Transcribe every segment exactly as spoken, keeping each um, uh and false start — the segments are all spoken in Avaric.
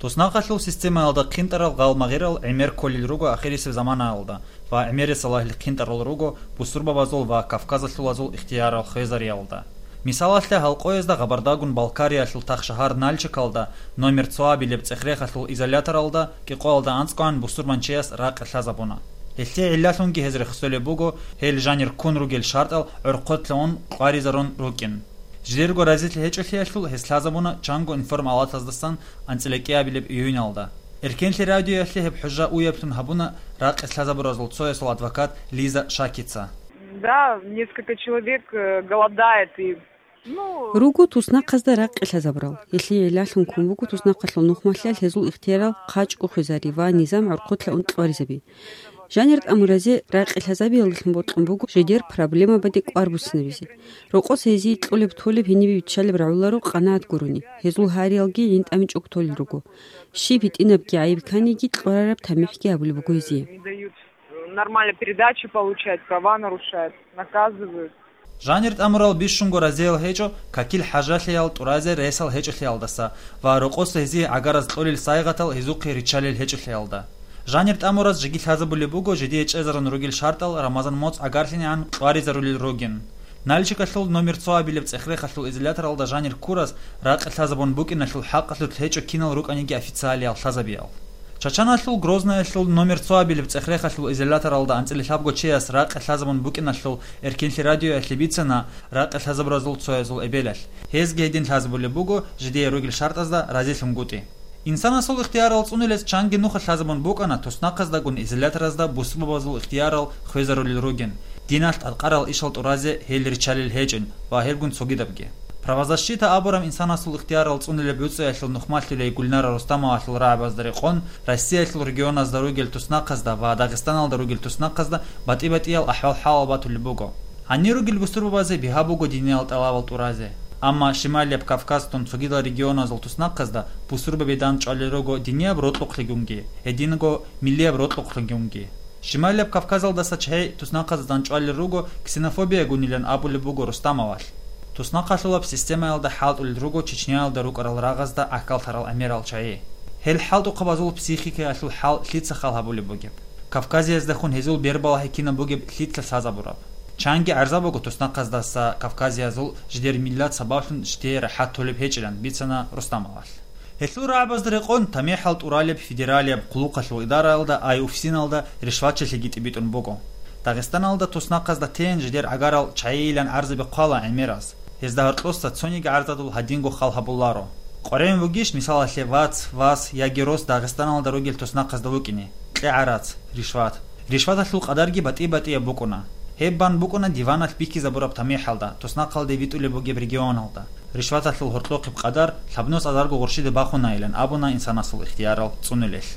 Туснахъалъул системаялда хъинтӀарал гъал-магъирал гӀемер кколел руго ахирисеб заманаялда ва гӀемерисел лагьил хъинтӀарал руго бусурбабазул ва кавказалъулазул ихтиярал хвезариялда. Мисалалъе, гьал къоязда Гъабардагун Балкариялъул тахшагьар Нальчикалда номер цоабилеб цӀех-рехалъул изоляторалда кӀикъоялда анцӀгоян бусурманчияс ракъи лъазабуна. Гьелъие гӀиллалъунги гьез рехсолеб буго, гьел жанир ккун ругел шартӀал гӀорхъотлъун кьваризарун рукӀин. Жидерго разилъи гьечӀолъиялъул гьес лъазабуна чанго информалатаздасан анцӀила кӀиабилеб июналда. Эркенлъи радиоялъе гьеб хӀужа уяблъун гьабуна ракъи лъазабуразул цоясул адвокат Лиза Шакица. Да, несколько человек э, голодает и ну, Руго туснахъазда ракъи лъазабурал. Гьелъие гӀиллалъун ккун буго туснахъалъул нухмалъиялъ гьезул ихтиярал хъачӀго хвезари ва низам гӀорхъотлъун кьваризаби. Жанир тӀамуразе ракъи лъазабиялдалъун бокьун буго жидер проблемабаде кӀвар буссинабизе. Рокъос гьезие кьолеб-толеб гьенибе биччалеб рагӀуларо къанагӀат гурони, гьезул гьариялги гӀинтӀамичӀого толел руго. Щиб гьитӀинабги гӀайиб кканиги, кьурараб тамихӀги гьабулеб буго гьезие. Не дают нормально передачи получать, права нарушают, наказывают. Жанир тӀамурал бищунго разиял гьечӀо какил хӀажалъиял тӀуразе ресал гьечӀолъиялдаса ва рокъос гьезие гӀагараз кьолел сайгъатал гьезухъе риччалел гьечӀолъиялда. Жанир тӀамураз жеги лъазабулеб буго жидее чӀезарун ругел шартӀал Рамазан моцӀ гӀагарлъинегӀан кьваризарулел ругин. Нальчикалъул номер цоабилеб цӀех-рехалъул изоляторалда жанир ккураз ракъи лъазабун букӀиналъул хӀакъалъулъ гьечӀо кинал рукӀаниги официалиял лъазабиял. Чачаналъул Грознаялъул номер цоабилеб цӀех-рехалъул изоляторалда анцӀила лъабго чияс ракъи лъазабун букӀиналъул Эркенлъи радиоялъе бицана ракъи лъазабуразул цоязул эбелалъ. Гьезги гьедин лъазабулеб буго жидее ругел шартӀазда разилъунгутӀи. Инсанасул ихтиярал цӀунулес чанги нуха лъазабун букӀана туснахъаздагун изоляторазда бусурбабазул ихтиярал хвезарулел ругин, диналъ тӀадкъарал ишал тӀуразе гьел риччалел гьечӀин ва гьелгун цогидабги. Правозащита абураб инсанасул ихтиярал цӀунулеб гӀуцӀиялъул нухмалъулей Гульнара Рустамовалъул рагӀабазда рекъон, Россиялъул регионазда ругел туснахъазда ва Дагъистаналда ругел туснахъазда батӀи-батӀиял ахӀвал-хӀалал батулеб буго. Гьанир ругел бусурбабазе бигьа буго диниял тӀалабал тӀуразе. Амма Шималияб Кавказтун цогидал регионазул туснахъазда бусурбаби дандчӀвалел руго динияб рокьукълъигунги, гьединго миллияб рокьукълъигунги. Шималияб Кавказалдаса чагьи туснахъазда дандчӀвалел руго ксенофобиягунилан абулеб буго Рустамовалъ. Туснахъалъулаб системаялда хӀалтӀулел руго Чечняялда рукӀарал рагъазда гӀахьаллъарал гӀемерал чагьи. Гьел хӀалтӀухъабазул психикаялъул хӀал лъица хал гьабулеб бугеб? Кавказияздахун гьезул бербалахӀи кинаб бугеб лъица лъазабураб? Чанги гӀарза буго туснахъаздаса кавказиязул жидер миллат сабаблъун житие рахӀат толеб гьечӀилан, бицана Рустамовалъ. Гьелъул рагӀабазда рекъон тамихӀал тӀуралеб федералияб хъулухъалъул идараялда ай УФСИНалда ришватчилъиги тӀибитӀун буго. Дагъистаналда туснахъазда тейин жидер гӀагарал чагьийилан гӀарзаби хъвала гӀемераз. Гьезда гьоркьоса цониги гӀарзадул гьадинго хал гьабуларо. КъваригӀун вугищ, мисалалъе, вац, вас яги рос Дагъистаналда ругел туснахъазда вукӀине, кье гӀарац, ришват. Ришваталъул къадарги батӀи-батӀияб букӀуна. Гьеб бан букӀуна диваналъ бихьизабураб тамихӀалда, туснахъалде витӀулеб бугеб регионалда. Ришваталъул гьоркьохъеб къадар лъабнус азарго гъурщиде бахунаилан абуна инсанасул ихтиярал цӀунулелъ.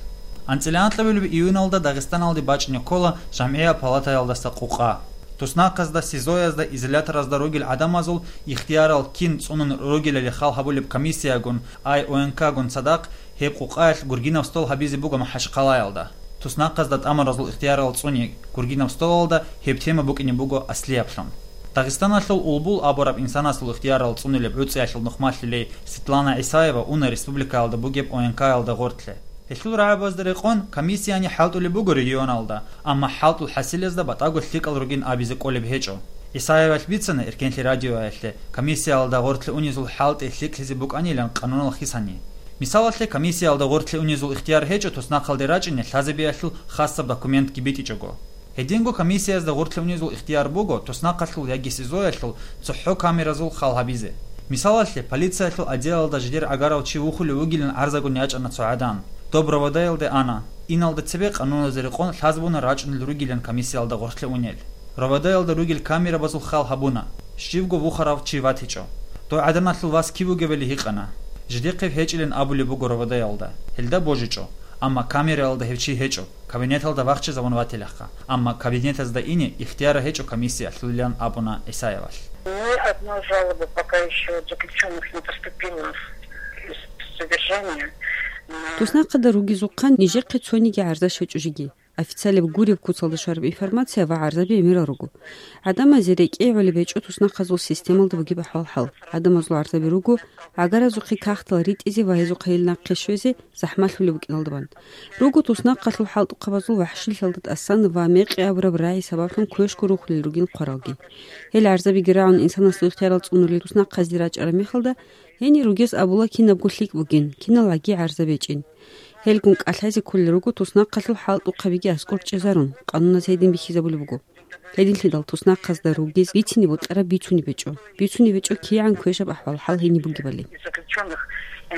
АнцӀила анкьабилеб июналда Дагъистаналде бачӀине ккола жамгӀияб палатаялдаса къукъа. Туснахъазда, СИЗО-язда, изоляторазда ругел гӀадамазул ихтиярал кин цӀунун ругелали хал гьабулеб комиссиягун, ай ОНК-гун цадахъ, гьеб къукъаялъ гургинаб стол гьабизе буго МахӀачхъалаялда. Туснахъазда тӀамуразул ихтиярал цӀуни гургинаб столалда гьеб тема букӀине буго аслияблъун. Дагъистаналъул Улбул абураб инсанасул ихтиярал цӀунулеб гӀуцӀиялъул нухмалъулей Светлана ГӀисаева уна республикаялда бугеб ОНК-ялда гъоркье. Гьелъул рагӀабазда рекъон комиссияни хӀалтӀулеб буго регионалда, амма хӀалтӀул хӀасилазда батӀаго лъикӀал ругин абизе кӀолеб гьечӀо. ГӀисаевалъ бицана Эркенлъи радиоялъе комиссиялда гъоркье унезул хӀалтӀи лъикӀлъизе букӀанилан къанунал хисани. Мисалалъе, комиссиялда гъоркье унезул ихтияр гьечӀо туснахъалде рачӀине лъазабиялъул хасаб документги битӀичӀого. Гьединго комиссиязда гъоркье унезул ихтияр буго туснахъалъул яги СИЗО-ялъул цохӀо камеразул хал гьабизе. Мисалалъе, полициялъул отделалда жидер гӀагарав чи вухулев вугилан гӀарзагун ячӀана цо гӀадан. Доб РОВД-ялде ана. Иналда цебе къануназе рекъон лъазабуна рачӀунел ругилан комиссиялда гъоркье унел. РОВД-ялда ругел камерабазул хал гьабуна. Щивго вухарав чи ватичӀо. Дов гӀаданалъул вас кив вугевали гьикъана. Жидехъе гьечӀилан абулеб буго РОВД-ялда. Гьелда божичӀо. Амма камераялда гьев чи гьечӀо. Кабинеталда вахчизабун ватилаха, амма кабинетазда ине ихтияр гьечӀо комиссиялъулилан абуна ГӀисаевалъ. Ни одной жалобы пока еще от заключенных не поступило из содержания на Туснахъада ругезухъан нижехъе цониги гӀарза щвечӀо жеги. официалаб гуреб куцалда щвараб информация ва гӀарзаби гӀемерал руго. ГӀадамазе рекӀее гӀолеб гьечӀо туснахъазул системалда бугеб ахӀвал-хӀал. ГӀадамазул гӀарзаби руго гӀагаразухъе кагътал ритӀизе ва гьезухъе гьел нахъе щвезе захӀмалъулеб букӀиналда бан. Руго туснахъалъул хӀалтӀухъабазул вахӀшилъалда тӀасан ва мекъи абураб рагӀи сабаблъун квешго рухулел ругин хъваралги. Гьел гӀарзабиги рагӀун инсанасул ихтиярал цӀунулел туснахъазде рачӀараб мехалда, гьенир ругез абула кинабго лъикӀ бугин, киналгӀаги гӀарза бечӀин. Гьелгун кӀалъазе кколел руго туснахъалъул хӀалтӀухъабиги аскӀор чӀезарун, къануназ гьедин бихьизабулеб буго. Гьединлъидал туснахъазда ругез бицине бутӀараб бицунеб гьечӀо. Бицунеб гьечӀо кигӀан квешаб ахӀвал-хӀал гьениб бугебали. Из заключённых, э,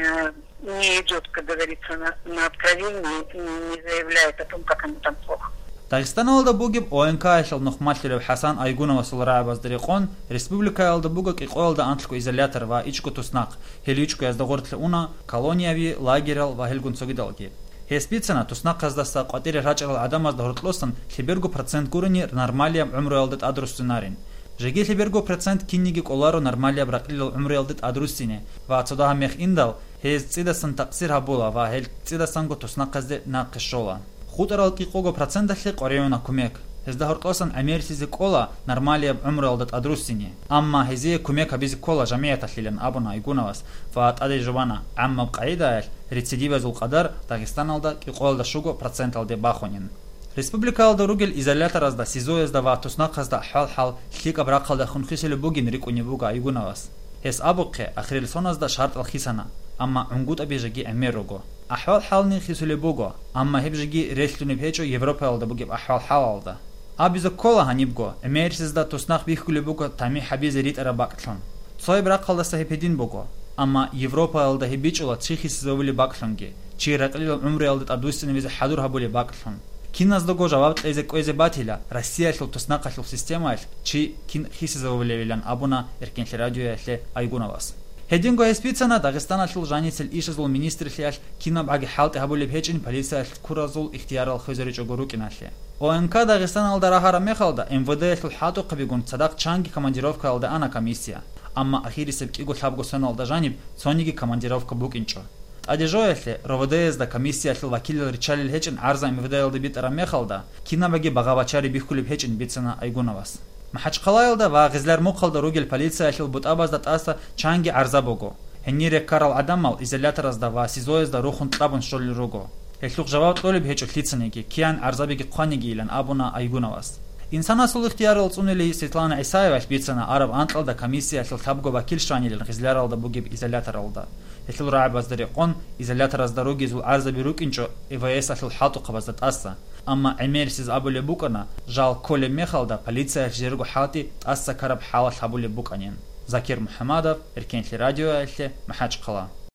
не идёт, как говорится, на, на откровение, не, не заявляет о том, как ему там плохо. Дагъистаналда бугеб ОНК-ялъул нухмалъулев ХӀасан Айгуновасул рагӀабазда рекъон, республикаялда буго кӀикъоялда анлъго изолятор ва ичӀго туснахъ, гьел ичӀгоязда гъорлъе уна колонияби, лагерал ва гьелгун цогидалги. Гьес бицана, туснахъаздаса къватӀире рачӀарал гӀадамазда гьоркьосан лъеберго процент гурони нормалияб гӀумруялда тӀадруссинарин. Жеги лъеберго процент кинниги кӀоларо нормалияб ракьилал гӀумруялда тӀадруссине ва цо дагьаб мех индал, гьез цӀидасан такъсир гьабула ва гьел цӀидасанго туснахъазде нахъе щола. ХутӀарал кӀикъого проценталъе къваригӀуна кумек. Гьезда гьоркьосан гӀемерлъизе кӀола нормалияб гӀумруялда тӀадруссине. Амма гьезие кумек гьабизе ккола жамигӀаталъилан абуна Айгуновас ва тӀаде жубана, гӀаммаб къагӀидаялъ рецидивазул къадар Дагъистаналда кӀикъоялда щуго проценталде бахунин. Республикаялда ругел изоляторазда, СИЗО-язда ва туснахъазда ахӀвал-хӀал лъикӀаб рахъалдехун хисулеб бугин рикӀкӀунеб буго Айгуновас. Гьес абухъе, ахирил соназда шартӀал хисана, амма гӀунгутӀаби жеги гӀемер руго. АхӀвал-хӀални хисулеб буго, амма гьеб жеги релълъунеб гьечӀо Европаялда бугеб ахӀвал-хӀалалда. Абизе ккола гьанибго, гӀемерисезда туснахъ бихьулеб буго тамихӀ гьабизе ритӀараб бакӀлъун. Цояб рахъалдаса гьеб гьедин буго, амма Европаялда гьеб бичӀчӀула чи хисизавулеб бакӀлъунги, чи ракьилал гӀумруялда тӀадвуссинавизе хӀадур гьабулеб бакӀлъун. Киназдаго жаваб кьезе кӀвезе батила, Россиялъул туснахъалъул системаялъ чи кин хисизавулевилан абуна Эркенлъи радиоялъе Айгуновас. Гьединго гьес бицана Дагъистаналъул жаницел ишазул министрлъиялъ кинабгӀаги хӀалтӀи гьабулеб гьечӀин полициялъ ккуразул ихтиярал хвезаричӀого рукӀиналъе. ОНК Дагъистаналда рагьараб мехалда, МВД-ялъул хӀалтӀухъабигун цадахъ чанги командировкаялда ана комиссия, амма ахирисеб кӀиго-лъабго соналда жаниб цониги командировка букӀинчӀо. ТӀаде жоялъе, РОВД-язда комиссиялъул вакилал риччалел гьечӀин гӀарза МВД-ялда битӀараб мехалда, кинабаги багъа-бачари бихьулеб гьечӀин бицана Айгуновас. МахӀачхъалаялда ва Гъизлярмухъалда ругел полициялъул бутӀабазда тӀаса чанги гӀарза буго. Гьенире ккарал гӀадамал изоляторазда ва СИЗО-язда рухун кьабун щолел руго. Гьелъухъ жаваб кьолеб гьечӀо лъицаниги, киян гӀарзабиги хъваниги илан абуна Айгуновас. Инсанасул ихтиярал цӀунулей Светлана ГӀисаевалъ бицана араб анкьалда комиссиялъул лъабго вакил щванилан Гъизляралда бугеб изоляторалда. Гьелъул рагӀабазда рекъон, изоляторазда ругезул гӀарзаби рукӀинчӀо ИВС-алъул хӀалтӀухъабазда тӀаса, амма гӀемерисез абулеб букӀана, жал кколеб мехалда полициялъ жерго хӀалтӀи тӀаса ккараб хӀалалъ гьабулеб букӀанин. Закир МухӀамадов, Эркенлъи радиоялъе, МахӀачхъала.